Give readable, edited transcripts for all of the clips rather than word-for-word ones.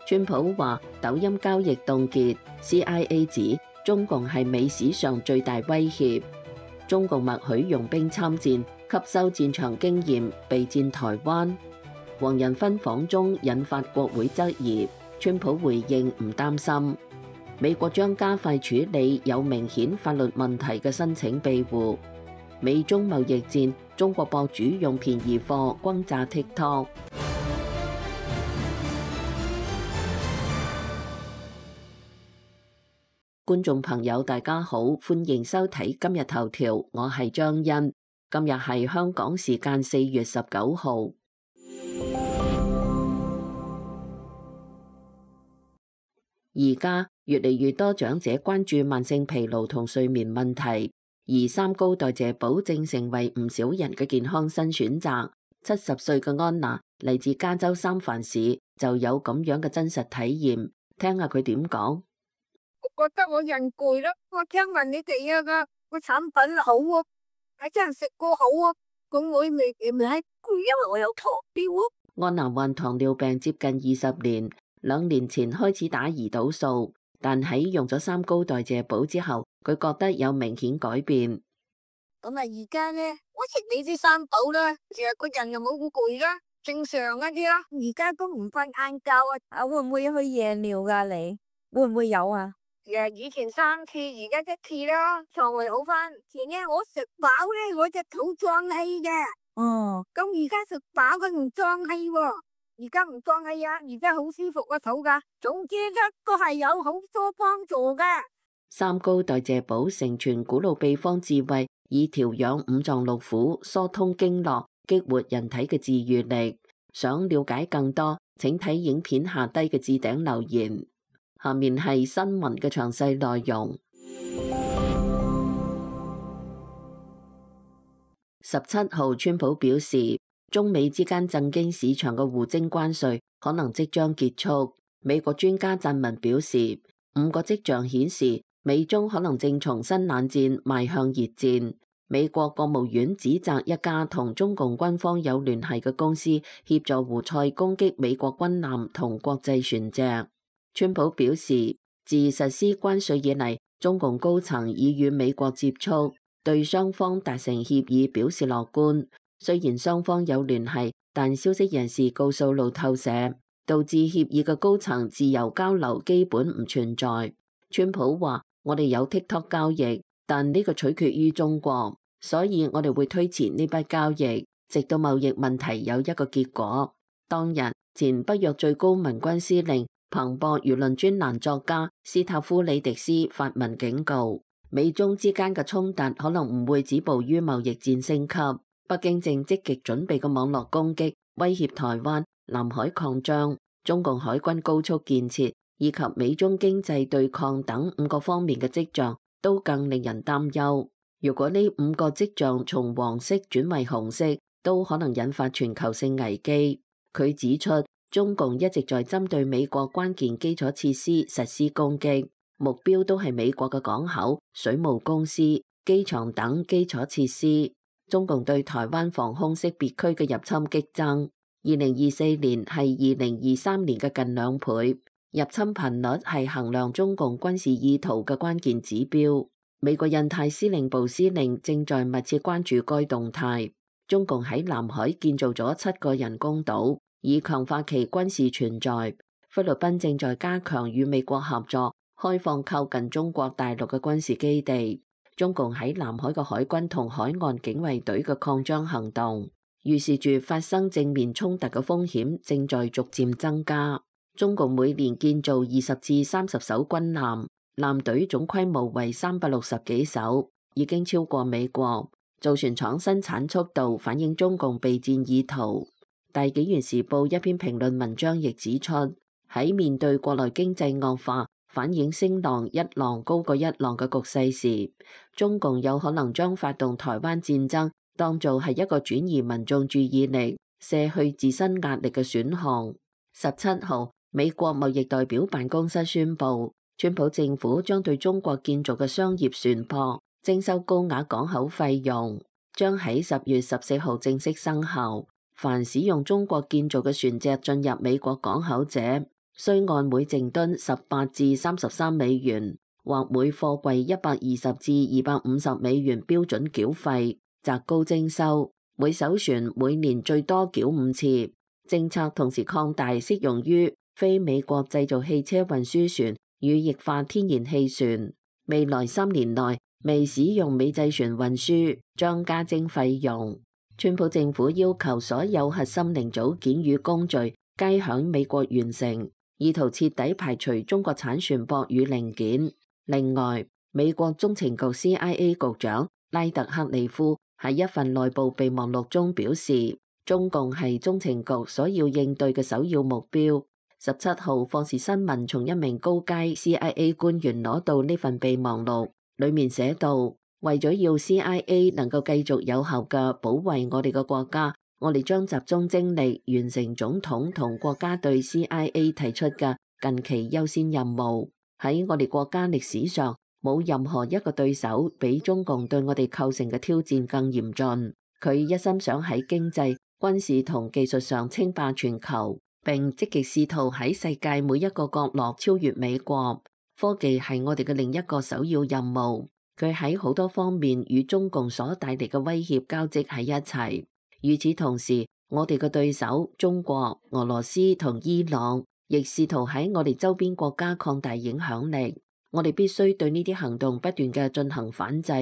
川普話抖音交易凍結 ，CIA 指中共係美史上最大威脅。中共默許用兵參戰，吸收戰場經驗，備戰台灣。黃仁勳訪中引發國會質疑，川普回應唔擔心。美國將加快處理有明顯法律問題嘅申請庇護。美中貿易戰，中國博主用便宜貨轟炸 TikTok。觀眾朋友大家好，歡迎收睇今日頭條，我係張欣。今日係香港時間4月19號。而家越嚟越多長者關注慢性疲勞同睡眠問題，而三高代謝寶正成為唔少人嘅健康新選擇。70歲嘅安娜嚟自加州三藩市，就有咁樣嘅真實體驗，聽下佢點講。我覺得我人攰咯，我聽聞你哋個產品好啊，係真係食過好啊，咁我未攰，因為我有糖尿啊。安娜患糖尿病接近20年，2年前開始打胰島素，但喺用咗三高代謝寶之後，佢覺得有明顯改變。咁啊，而家咧，我食你啲三寶啦，成日個人又冇咁攰啦，正常一啲啦。而家都唔瞓晏覺啊，會唔會去夜尿噶？你會唔會有啊？以前3次，而家1次啦，腸胃好翻。前日我食飽咧，我隻肚脹氣嘅。哦，咁而家食飽佢唔脹氣喎，而家唔脹氣啊，而家好舒服個肚噶。總之一個係有好多幫助噶。三高代謝寶承傳古老秘方智慧，以調養五臟六腑、疏通經絡、激活人體嘅自愈力。想了解更多，請睇影片下低嘅置頂留言。下面係新聞嘅詳細內容。17號，川普表示，中美之間震驚市場嘅互徵關稅可能即將結束。美國專家撰文表示，5個跡象顯示美中可能正從新冷戰邁向熱戰。美國國務院指責一家同中共軍方有聯繫嘅公司協助胡塞攻擊美國軍艦同國際船隻。川普表示，自實施關稅以嚟，中共高層已與美國接觸，對雙方達成協議表示樂觀。雖然雙方有聯繫，但消息人士告訴路透社，導致協議嘅高層自由交流基本唔存在。川普話：我哋有 TikTok 交易，但呢個取決於中國，所以我哋會推遲呢筆交易，直到貿易問題有一個結果。當日，前北約最高民軍司令彭博輿論專欄作家斯塔夫里迪斯發文警告，美中之間嘅衝突可能唔會止步於貿易戰升級。北京正積極準備嘅網絡攻擊，威脅台灣、南海擴張、中共海軍高速建設以及美中經濟對抗等5個方面嘅跡象，都更令人擔憂。如果呢5個跡象從黃色轉為紅色，都可能引發全球性危機。佢指出，中共一直在針對美國關鍵基礎設施實施攻擊，目標都係美國嘅港口、水務公司、機場等基礎設施。中共對台灣防空識別區嘅入侵激增，2024年係2023年嘅近2倍。入侵頻率係衡量中共軍事意圖嘅關鍵指標。美國印太司令部司令正在密切關注該動態。中共喺南海建造咗7個人工島，以強化其軍事存在。菲律賓正在加強與美國合作，開放靠近中國大陸嘅軍事基地。中共喺南海嘅海軍同海岸警衛隊嘅擴張行動，預示住發生正面衝突嘅風險正在逐漸增加。中共每年建造20至30艘軍艦，艦隊總規模為360幾艘，已經超過美國。造船廠生產速度反映中共備戰意圖。大紀元時報一篇評論文章亦指出，喺面對國內經濟惡化，反映聲浪一浪高過一浪嘅局勢時，中共有可能將發動台灣戰爭當做係一個轉移民眾注意力、卸去自身壓力嘅選項。17號，美國貿易代表辦公室宣布，川普政府將對中國建造嘅商業船舶徵收高額港口費用，將喺10月14號正式生效。凡使用中國建造嘅船隻進入美國港口者，需按每淨噸18至33美元或每貨櫃120至250美元標準繳費，擇高徵收。每艘船每年最多繳5次。政策同時擴大適用於非美國製造汽車運輸船與液化天然氣船。未來3年內未使用美製船運輸將加徵費用。川普政府要求所有核心零組件與工序皆響美國完成，意圖徹底排除中國產船舶與零件。另外，美國中情局 CIA 局長拉特克利夫喺一份內部備忘錄中表示，中共係中情局所要應對嘅首要目標。17號，霍士新聞從一名高階 CIA 官員攞到呢份備忘錄，裡面寫道：為咗要 CIA 能夠繼續有效嘅保衛我哋嘅國家，我哋將集中精力完成總統同國家對 CIA 提出嘅近期優先任務。喺我哋國家歷史上，冇任何一個對手比中共對我哋構成嘅挑戰更嚴峻。佢一心想喺經濟、軍事同技術上稱霸全球，並積極試圖喺世界每一個角落超越美國。科技係我哋嘅另一個首要任務。佢喺好多方面與中共所帶嚟嘅威脅交織喺一齊。與此同時，我哋嘅對手中國、俄羅斯同伊朗亦試圖喺我哋周邊國家擴大影響力。我哋必須對呢啲行動不斷嘅進行反制。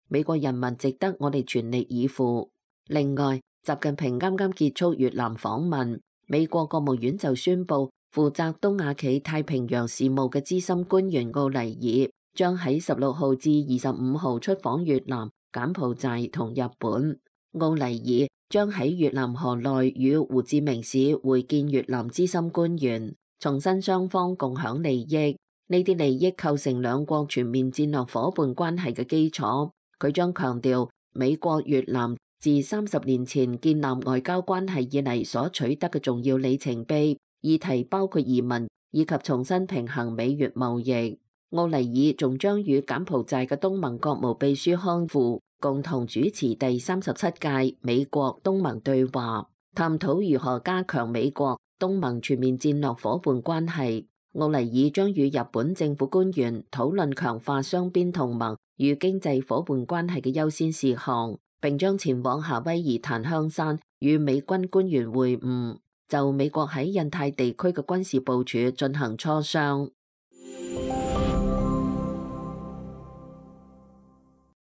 美國人民值得我哋全力以赴。另外，習近平啱啱結束越南訪問，美國國務院就宣布，負責東亞企太平洋事務嘅資深官員奧尼爾將喺16號至25號出訪越南、柬埔寨同日本。奧尼爾將喺越南河內與胡志明市會見越南資深官員，重申雙方共享利益。呢啲利益構成兩國全面戰略夥伴關係嘅基礎。佢將強調美國越南自30年前建立外交關係以嚟所取得嘅重要里程碑，議題包括移民以及重新平衡美越貿易。奧尼爾仲將與柬埔寨嘅東盟國務秘書康富共同主持第37屆美國東盟對話，探討如何加強美國東盟全面戰略夥伴關係。奧尼爾將與日本政府官員討論強化雙邊同盟與經濟夥伴關係嘅優先事項，並將前往夏威夷檀香山與美軍官員會晤，就美國喺印太地區嘅軍事部署進行磋商。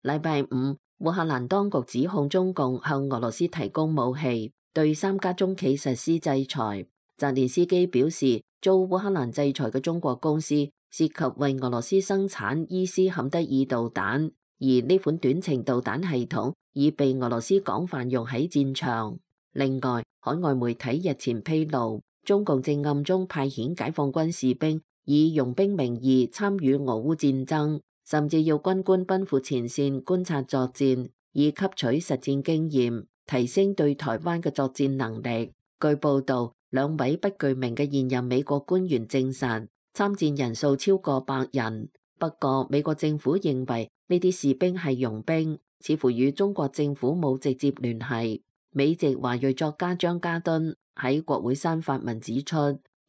禮拜五，烏克蘭當局指控中共向俄羅斯提供武器，對3家中企實施制裁。澤連斯基表示，遭烏克蘭制裁嘅中國公司涉及為俄羅斯生產伊斯坎德爾導彈，而呢款短程導彈系統已被俄羅斯廣泛用喺戰場。另外，海外媒體日前披露，中共正暗中派遣解放軍士兵以傭兵名義參與俄烏戰爭，甚至要軍官奔赴前線觀察作戰，以吸取實戰經驗，提升對台灣嘅作戰能力。據報道，2位不具名嘅現任美國官員證實，參戰人數超過100人。不過，美國政府認為呢啲士兵係傭兵，似乎與中國政府冇直接聯繫。美籍華裔作家張家敦喺國會山發文指出，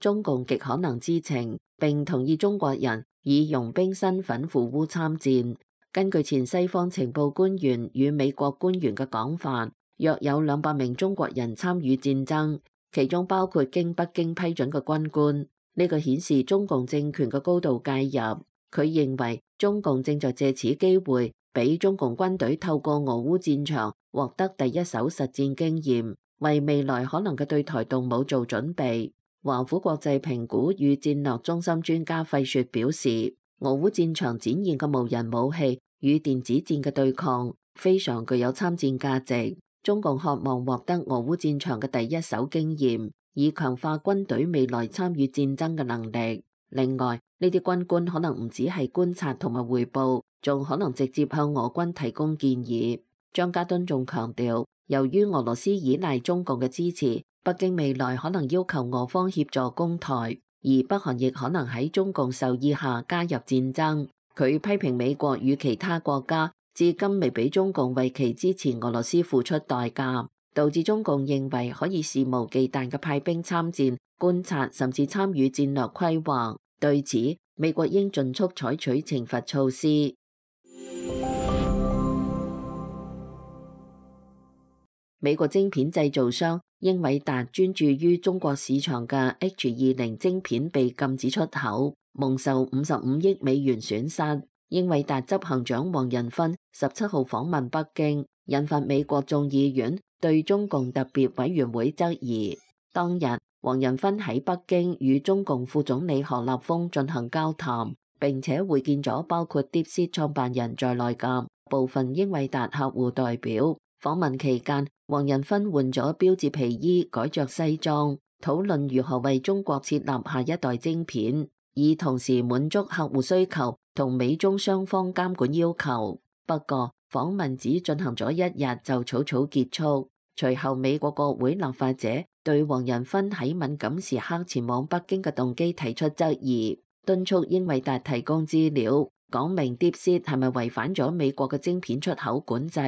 中共極可能知情並同意中國人以傭兵身份赴烏參戰。根據前西方情報官員與美國官員嘅講法，約有200名中國人參與戰爭，其中包括經北京批准嘅軍官。呢個顯示中共政權嘅高度介入。佢認為中共正在借此機會，俾中共軍隊透過俄烏戰場獲得第一手實戰經驗，為未來可能嘅對台動武做準備。華府國際評估與戰略中心專家費雪表示，俄烏戰場展現嘅無人武器與電子戰嘅對抗非常具有參戰價值。中共渴望獲得俄烏戰場嘅第一手經驗，以強化軍隊未來參與戰爭嘅能力。另外，呢啲軍官可能唔只係觀察同埋彙報，仲可能直接向俄軍提供建議。張家敦仲強調，由於俄羅斯依賴中共嘅支持，北京未來可能要求俄方協助攻台，而北韓亦可能喺中共授意下加入戰爭。佢批評美國與其他國家至今未俾中共為其支持俄羅斯付出代價。導致中共認為可以肆無忌憚嘅派兵參戰、觀察甚至參與戰略規劃。對此，美國應盡速採取懲罰措施。美國晶片製造商英偉達專注於中國市場嘅 H20晶片被禁止出口，蒙受55億美元損失。英偉達執行長黃仁勳17號訪問北京，引發美國眾議院對中共特別委員會質疑。當日，黃仁勳喺北京與中共副總理何立峰進行交談，並且會見咗包括 DeepSeek 創辦人在內嘅部分英偉達客戶代表。訪問期間，黃仁勳換咗標緻皮衣，改着西裝，討論如何為中國設立下一代晶片，以同時滿足客戶需求同美中雙方監管要求。不過，訪問只進行咗1日就草草結束。隨後，美國國會立法者對黃仁勳喺敏感時刻前往北京嘅動機提出質疑，敦促英偉達提供資料，講明 DeepSeek 係咪違反咗美國嘅晶片出口管制。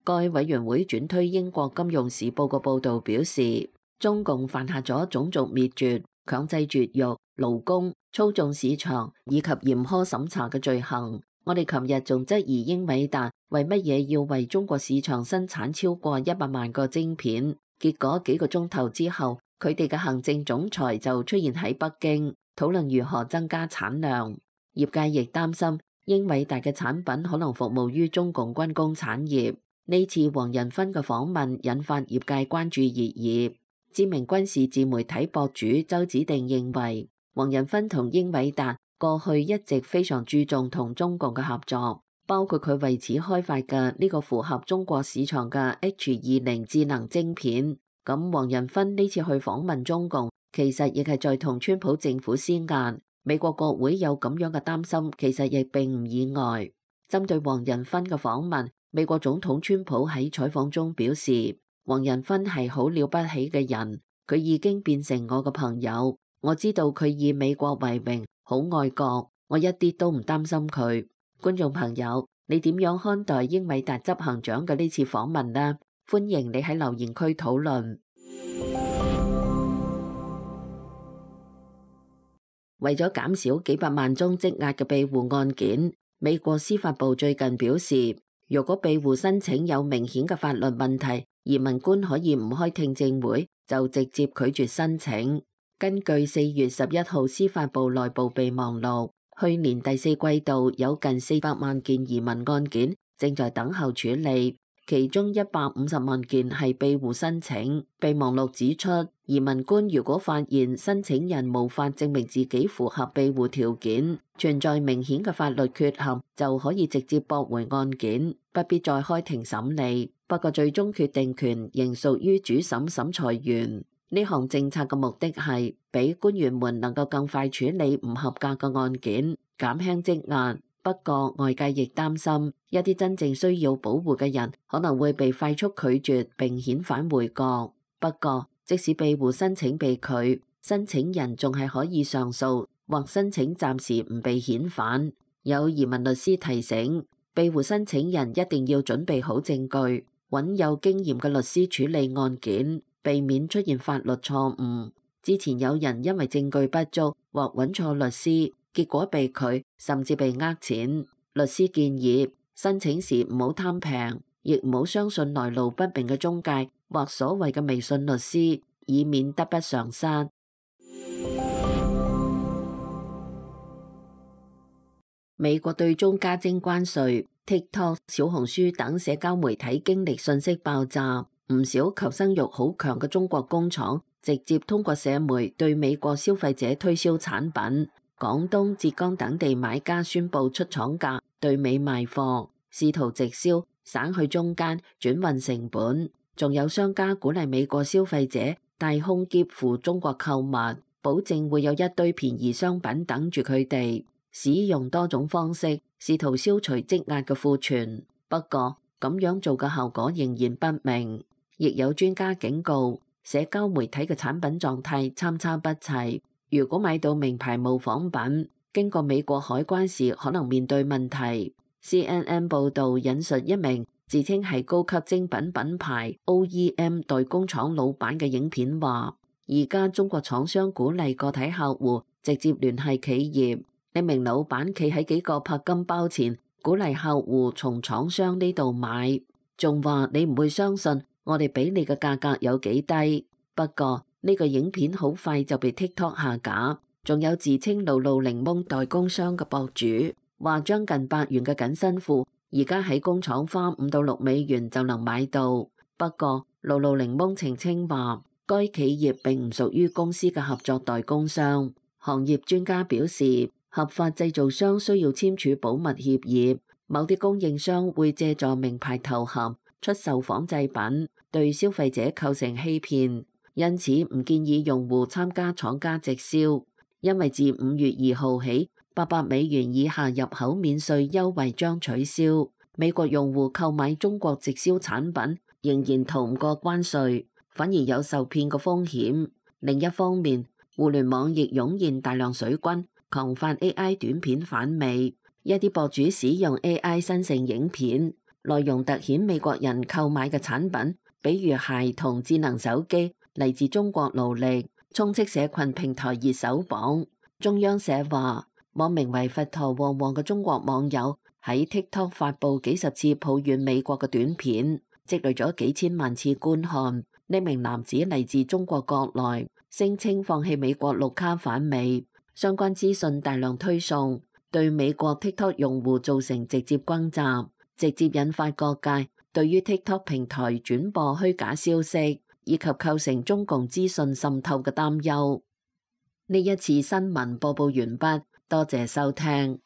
該委員會轉推英國金融時報嘅報導表示，中共犯下咗種族滅絕、強制絕育、勞工、操縱市場以及嚴苛審查嘅罪行。我哋琴日仲質疑英偉達為乜嘢要為中國市場生產超過100萬個晶片，結果幾個鐘頭之後，佢哋嘅行政總裁就出現喺北京，討論如何增加產量。業界亦擔心英偉達嘅產品可能服務於中共軍工產業。呢次黃仁勳嘅訪問引發業界關注熱議。知名軍事自媒體博主周子定認為，黃仁勳同英偉達過去一直非常注重同中共嘅合作，包括佢為此開發嘅呢個符合中國市場嘅 H20智能晶片。咁黃仁勳呢次去訪問中共，其實亦係在同川普政府施壓。美國國會有咁樣嘅擔心，其實亦並唔意外。針對黃仁勳嘅訪問，美國總統川普喺採訪中表示，黃仁勳係好了不起嘅人，佢已經變成我嘅朋友。我知道佢以美國為榮，好愛國，我一啲都唔擔心佢。觀眾朋友，你點樣看待英偉達執行長嘅呢次訪問呢？歡迎你喺留言區討論。為咗減少幾百萬宗積壓嘅庇護案件，美國司法部最近表示，如果庇護申請有明顯嘅法律問題，移民官可以唔開聽證會就直接拒絕申請。根據4月11號司法部內部備忘錄，去年第4季度有近400萬件移民案件正在等候處理，其中150萬件係庇護申請。備忘錄指出，移民官如果發現申請人無法證明自己符合庇護條件，存在明顯嘅法律缺陷，就可以直接駁回案件，不必再開庭審理。不過最終決定權仍屬於主審審裁員。呢項政策嘅目的係俾官員們能夠更快處理唔合格嘅案件，減輕積壓。不過外界亦擔心，一啲真正需要保護嘅人可能會被快速拒絕並遣返回國。不過即使庇護申請被拒，申請人仲係可以上訴或申請暫時唔被遣返。有移民律師提醒，庇護申請人一定要準備好證據，揾有經驗嘅律師處理案件，避免出現法律錯誤。之前有人因為證據不足或揾錯律師，結果被拒，甚至被呃錢。律師建議申請時唔好貪平，亦唔好相信來路不明嘅中介或所謂嘅微信律師，以免得不償失。美國對中加徵關稅 ，TikTok、小紅書等社交媒體經歷信息爆炸，唔少求生欲好強嘅中國工廠直接通過社媒對美國消費者推銷產品。廣東、浙江等地買家宣布出廠價對美賣貨，試圖直銷，省去中間轉運成本。仲有商家鼓勵美國消費者帶空篋赴中國購物，保證會有一堆便宜商品等住佢哋。使用多種方式試圖消除積壓嘅庫存，不過咁樣做嘅效果仍然不明。亦有專家警告，社交媒體嘅產品狀態參差不齊。如果買到名牌模仿品，經過美國海關時可能面對問題。CNN 報導引述一名自稱係高級精品品牌 OEM 代工廠老闆嘅影片話，而家中國廠商鼓勵個體客戶直接聯繫企業。呢名老闆企喺幾個拍金包前，鼓勵客戶從廠商呢度買，仲話你唔會相信我哋俾你嘅價格有幾低。不過呢個影片好快就被 TikTok 下架。仲有自稱露露檸檬代工商嘅博主話，將近8元嘅緊身褲而家喺工廠花5到6美元就能買到。不過露露檸檬澄清話，該企業並唔屬於公司嘅合作代工商。行業專家表示，合法製造商需要簽署保密協議，某啲供應商會借助名牌頭銜出售仿製品，對消費者構成欺騙，因此唔建議用戶參加廠家直銷。因為自5月2號起，800美元以下入口免稅優惠將取消。美國用戶購買中國直銷產品仍然逃唔過關稅，反而有受騙嘅風險。另一方面，互聯網亦湧現大量水軍，狂發 AI 短片反美。一啲博主使用 AI 生成影片，內容突顯美國人購買嘅產品，比如鞋同智能手機嚟自中國勞力，充斥社群平台熱搜榜。中央社話，網名為佛陀旺旺嘅中國網友喺 TikTok 發布幾十次抱怨美國嘅短片，積累咗幾千萬次觀看。呢名男子嚟自中國國內，聲稱放棄美國綠卡反美，相關資訊大量推送，對美國 TikTok 用戶造成直接轟炸，直接引發各界對於 TikTok 平台轉播虛假消息以及構成中共資訊滲透嘅擔憂。呢一次新聞播報完畢，多謝收聽。